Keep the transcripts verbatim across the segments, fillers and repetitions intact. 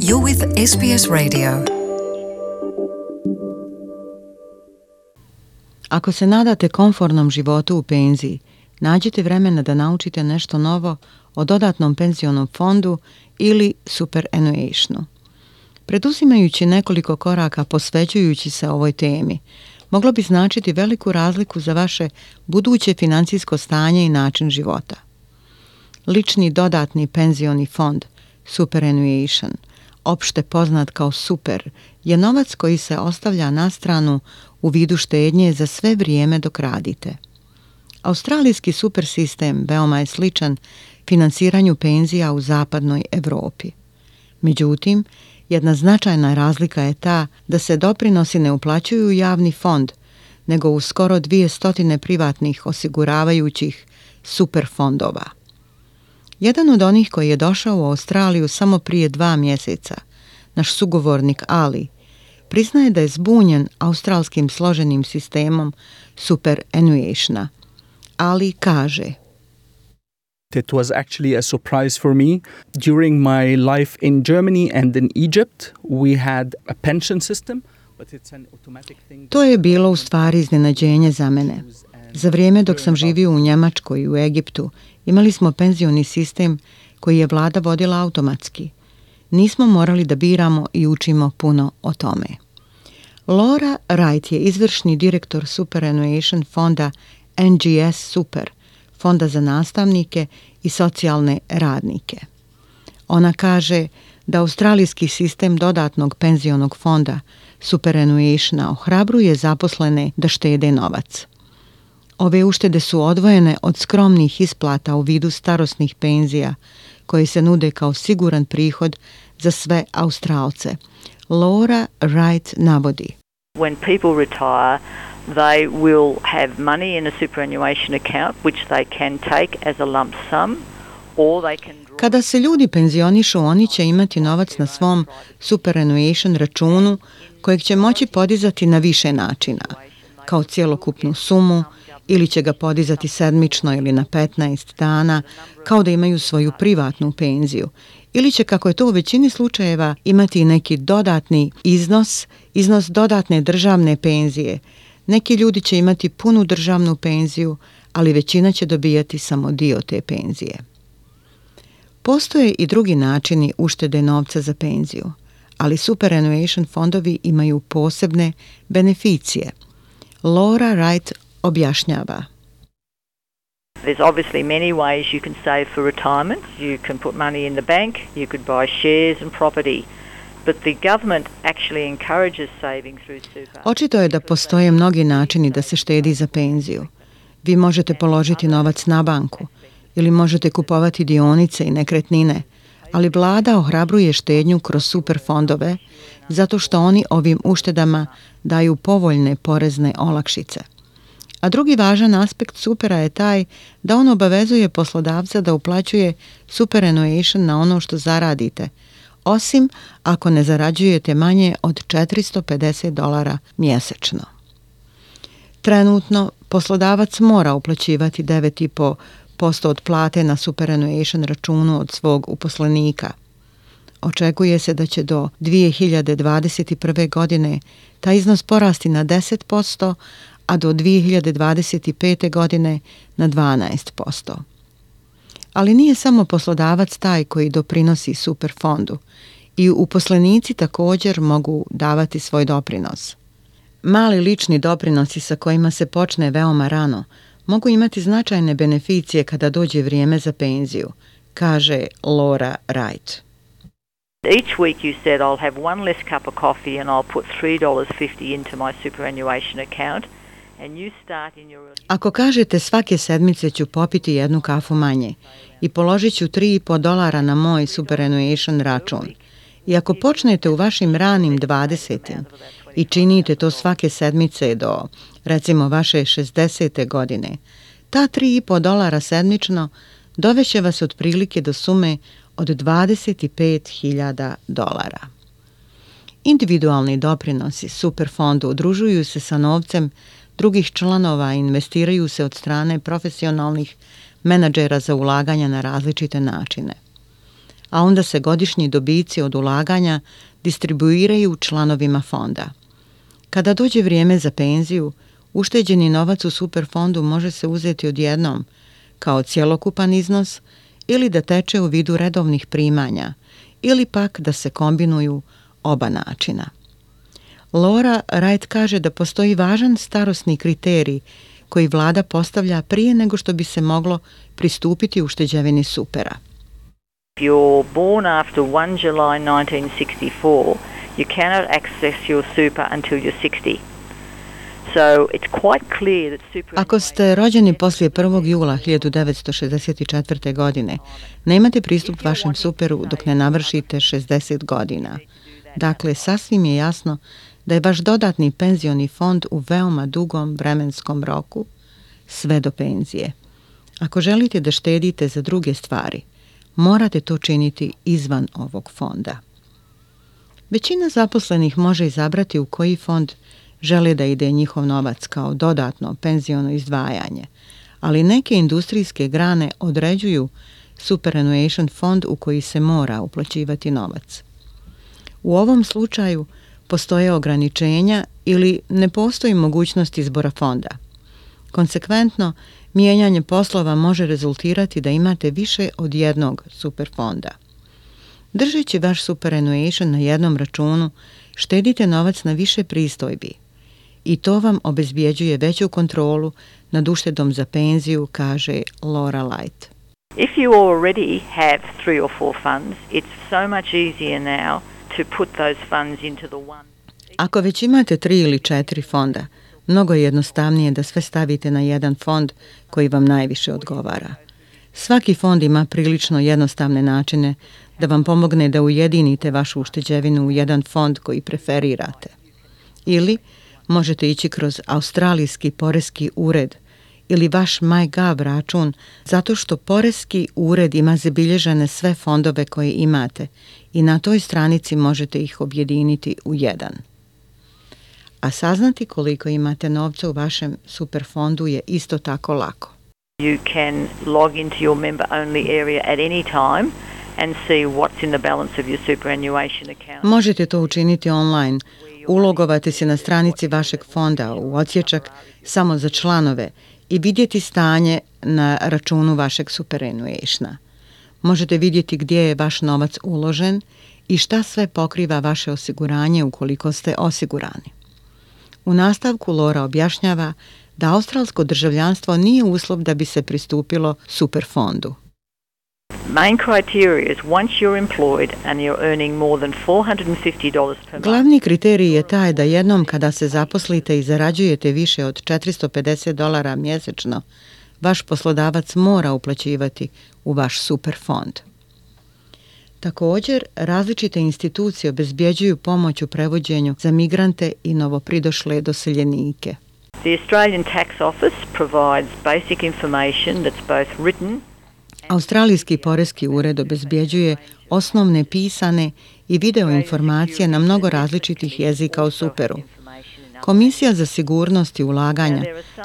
You're with S B S Radio. Ako se nadate komfornom životu u penziji, nađite vremena da naučite nešto novo o dodatnom penzionom fondu ili superannuationu. Preduzimajući nekoliko koraka posvećujući se ovoj temi, moglo bi značiti veliku razliku za vaše buduće financijsko stanje i način života. Lični dodatni penzioni fond, superannuation, opšte poznat kao super, je novac koji se ostavlja na stranu u vidu štednje za sve vrijeme dok radite. Australijski super sistem veoma je sličan finansiranju penzija u zapadnoj Europi. Međutim, jedna značajna razlika je ta da se doprinosi ne uplaćuju u javni fond, nego u skoro dvije stotine privatnih osiguravajućih super fondova. Jedan od onih koji je došao u Australiju samo prije dva mjeseca, naš sugovornik Ali, priznaje da je zbunjen australskim složenim sistemom superannuationa. Ali kaže: It was actually a surprise for me. During my life in Germany and in Egypt, we had a pension system, but it's an automatic thing. To je bilo u stvari iznenađenje za mene. Za vrijeme dok sam živio u Njemačkoj i u Egiptu, imali smo penzioni sistem koji je vlada vodila automatski. Nismo morali da biramo i učimo puno o tome. Laura Wright je izvršni direktor superannuation fonda N G S Super, fonda za nastavnike i socijalne radnike. Ona kaže da australijski sistem dodatnog penzionog fonda superannuationa ohrabruje zaposlene da štede novac. Ove uštede su odvojene od skromnih isplata u vidu starosnih penzija koje se nude kao siguran prihod za sve Australce. Laura Wright navodi: When people retire, they will have money in a superannuation account which they can take as a lump sum, or they can draw. Kada se ljudi penzionišu, oni će imati novac na svom superannuation računu kojeg će moći podizati na više načina, kao cjelokupnu sumu, ili će ga podizati sedmično ili na petnaest dana, kao da imaju svoju privatnu penziju, ili će, kako je to u većini slučajeva, imati neki dodatni iznos, iznos dodatne državne penzije. Neki ljudi će imati punu državnu penziju, ali većina će dobijati samo dio te penzije. Postoje i drugi načini uštede novca za penziju, ali superannuation fondovi imaju posebne beneficije. Laura Wright objašnjava: There's obviously many ways you can save for retirement. You can put money in the bank, you could buy shares and property. But the government actually encourages saving through super. Očito je da postoje mnogi načini da se štedi za penziju. Vi možete položiti novac na banku ili možete kupovati dionice i nekretnine, ali vlada ohrabruje štednju kroz super fondove zato što oni ovim uštedama daju povoljne porezne olakšice. A drugi važan aspekt supera je taj da on obavezuje poslodavca da uplaćuje superannuation na ono što zaradite, osim ako ne zarađujete manje od četiristo pedeset dolara mjesečno. Trenutno poslodavac mora uplaćivati devet zarez pet posto od plate na superannuation računu od svog uposlenika. Očekuje se da će do dvije hiljade dvadeset prve. godine taj iznos porasti na deset posto, a do dvije hiljade dvadeset pete. godine na dvanaest posto. Ali nije samo poslodavac taj koji doprinosi super fondu. I uposlenici također mogu davati svoj doprinos. Mali lični doprinosi sa kojima se počne veoma rano mogu imati značajne beneficije kada dođe vrijeme za penziju, kaže Laura Wright. Each week you said I'll have one less cup of coffee and I'll put three dollars fifty into my superannuation account. Ako kažete svake sedmice ću popiti jednu kafu manje i položit ću tri zarez pet dolara na moj superannuation račun, i ako počnete u vašim ranim dvadesetim i činite to svake sedmice do, recimo, vaše šezdesete godine, ta tri zarez pet dolara sedmično doveće vas otprilike do sume od dvadeset pet hiljada dolara. Individualni doprinosi superfondu udružuju se sa novcem drugih članova i investiraju se od strane profesionalnih menadžera za ulaganja na različite načine. a onda se godišnji dobici od ulaganja distribuiraju članovima fonda. Kada dođe vrijeme za penziju, ušteđeni novac u superfondu može se uzeti odjednom kao cjelokupan iznos ili da teče u vidu redovnih primanja ili pak da se kombinuju oba načina. Laura Wright kaže da postoji važan starosni kriterij koji vlada postavlja prije nego što bi se moglo pristupiti ušteđevini supera. If you're born after first of July nineteen sixty-four, you cannot access your super until you're sixty. So it's quite clear that super... Ako ste rođeni poslije prvog jula hiljadu devetsto šezdeset četvrte. godine, nemate pristup vašem superu dok ne navršite šezdeset godina. Dakle, sasvim je jasno da je vaš dodatni penzioni fond u veoma dugom vremenskom roku, sve do penzije. Ako želite da štedite za druge stvari, morate to činiti izvan ovog fonda. Većina zaposlenih može izabrati u koji fond žele da ide njihov novac kao dodatno penziono izdvajanje, ali neke industrijske grane određuju superannuation fond u koji se mora uplaćivati novac. U ovom slučaju postoje ograničenja ili ne postoji mogućnost izbora fonda. Konsekventno, mijenjanje poslova može rezultirati da imate više od jednog superfonda. Držeći vaš superannuation na jednom računu, štedite novac na više pristojbi i to vam obezbjeđuje veću kontrolu nad uštedom za penziju, kaže Laura Wright. If you already have three or four funds, it's so much easier now to put those funds into the one. Ako već imate tri ili četiri fonda, mnogo je jednostavnije da sve stavite na jedan fond koji vam najviše odgovara. Svaki fond ima prilično jednostavne načine da vam pomogne da ujedinite vašu ušteđevinu u jedan fond koji preferirate. Ili možete ići kroz australijski poreski ured ili vaš MyGov račun zato što poreski ured ima zabilježene sve fondove koje imate i na toj stranici možete ih objediniti u jedan. A saznati koliko imate novca u vašem superfondu je isto tako lako. You can log into your member-only area at any time and see what's in the balance of your superannuation account. Možete to učiniti online, ulogovati se na stranici vašeg fonda u odsječak samo za članove i vidjeti stanje na računu vašeg superannuationa. Možete vidjeti gdje je vaš novac uložen i šta sve pokriva vaše osiguranje ukoliko ste osigurani. U nastavku Laura objašnjava da australsko državljanstvo nije uslov da bi se pristupilo superfondu. Main criteria is once you're employed and you're earning more than four hundred fifty dollars per month. Glavni kriterij je taj da jednom kada se zaposlite i zarađujete više od četiristo pedeset dolara mjesečno, vaš poslodavac mora uplaćivati u vaš superfond. Također, različite institucije obezbjeđuju pomoć u prevođenju za migrante i novopridošle doseljenike. The Australian Tax Office provides basic information that's both written. Australijski poreski ured obezbjeđuje osnovne pisane i video informacije na mnogo različitih jezika o superu. Komisija za sigurnost i ulaganja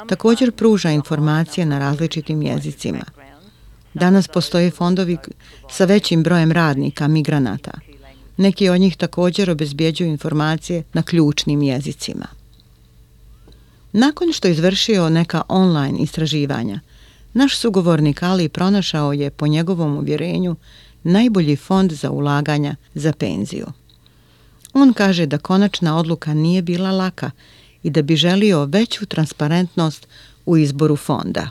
također pruža informacije na različitim jezicima. Danas postoje fondovi sa većim brojem radnika, migranata. Neki od njih također obezbjeđuju informacije na ključnim jezicima. Nakon što je izvršio neka online istraživanja, naš sugovornik Ali pronašao je, po njegovom uvjerenju, najbolji fond za ulaganja za penziju. On kaže da konačna odluka nije bila laka i da bi želio veću transparentnost u izboru fonda.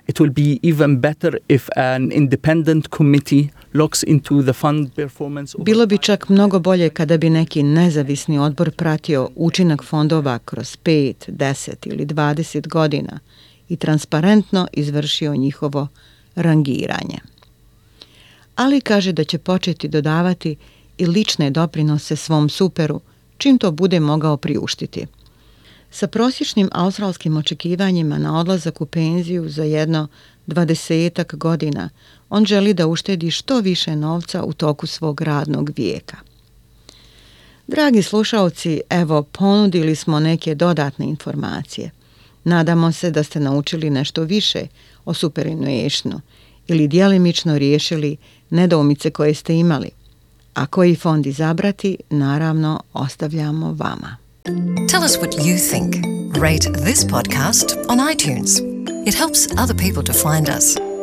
It will be even better if an independent committee looks into the fund performance. Bilo bi čak mnogo bolje kada bi neki nezavisni odbor pratio učinak fondova kroz pet, deset ili dvadeset godina i transparentno izvršio njihovo rangiranje. Ali kaže da će početi dodavati i lične doprinose svom superu čim to bude mogao priuštiti. Sa prosječnim australskim očekivanjima na odlazak u penziju za jedno dvadesetak godina, on želi da uštedi što više novca u toku svog radnog vijeka. Dragi slušaoci, evo, ponudili smo neke dodatne informacije. Nadamo se da ste naučili nešto više o superannuationu ili djelimično riješili nedoumice koje ste imali. A koji fond izabrati, naravno, ostavljamo vama. Tell us what you think. Rate this podcast on iTunes. It helps other people to find us.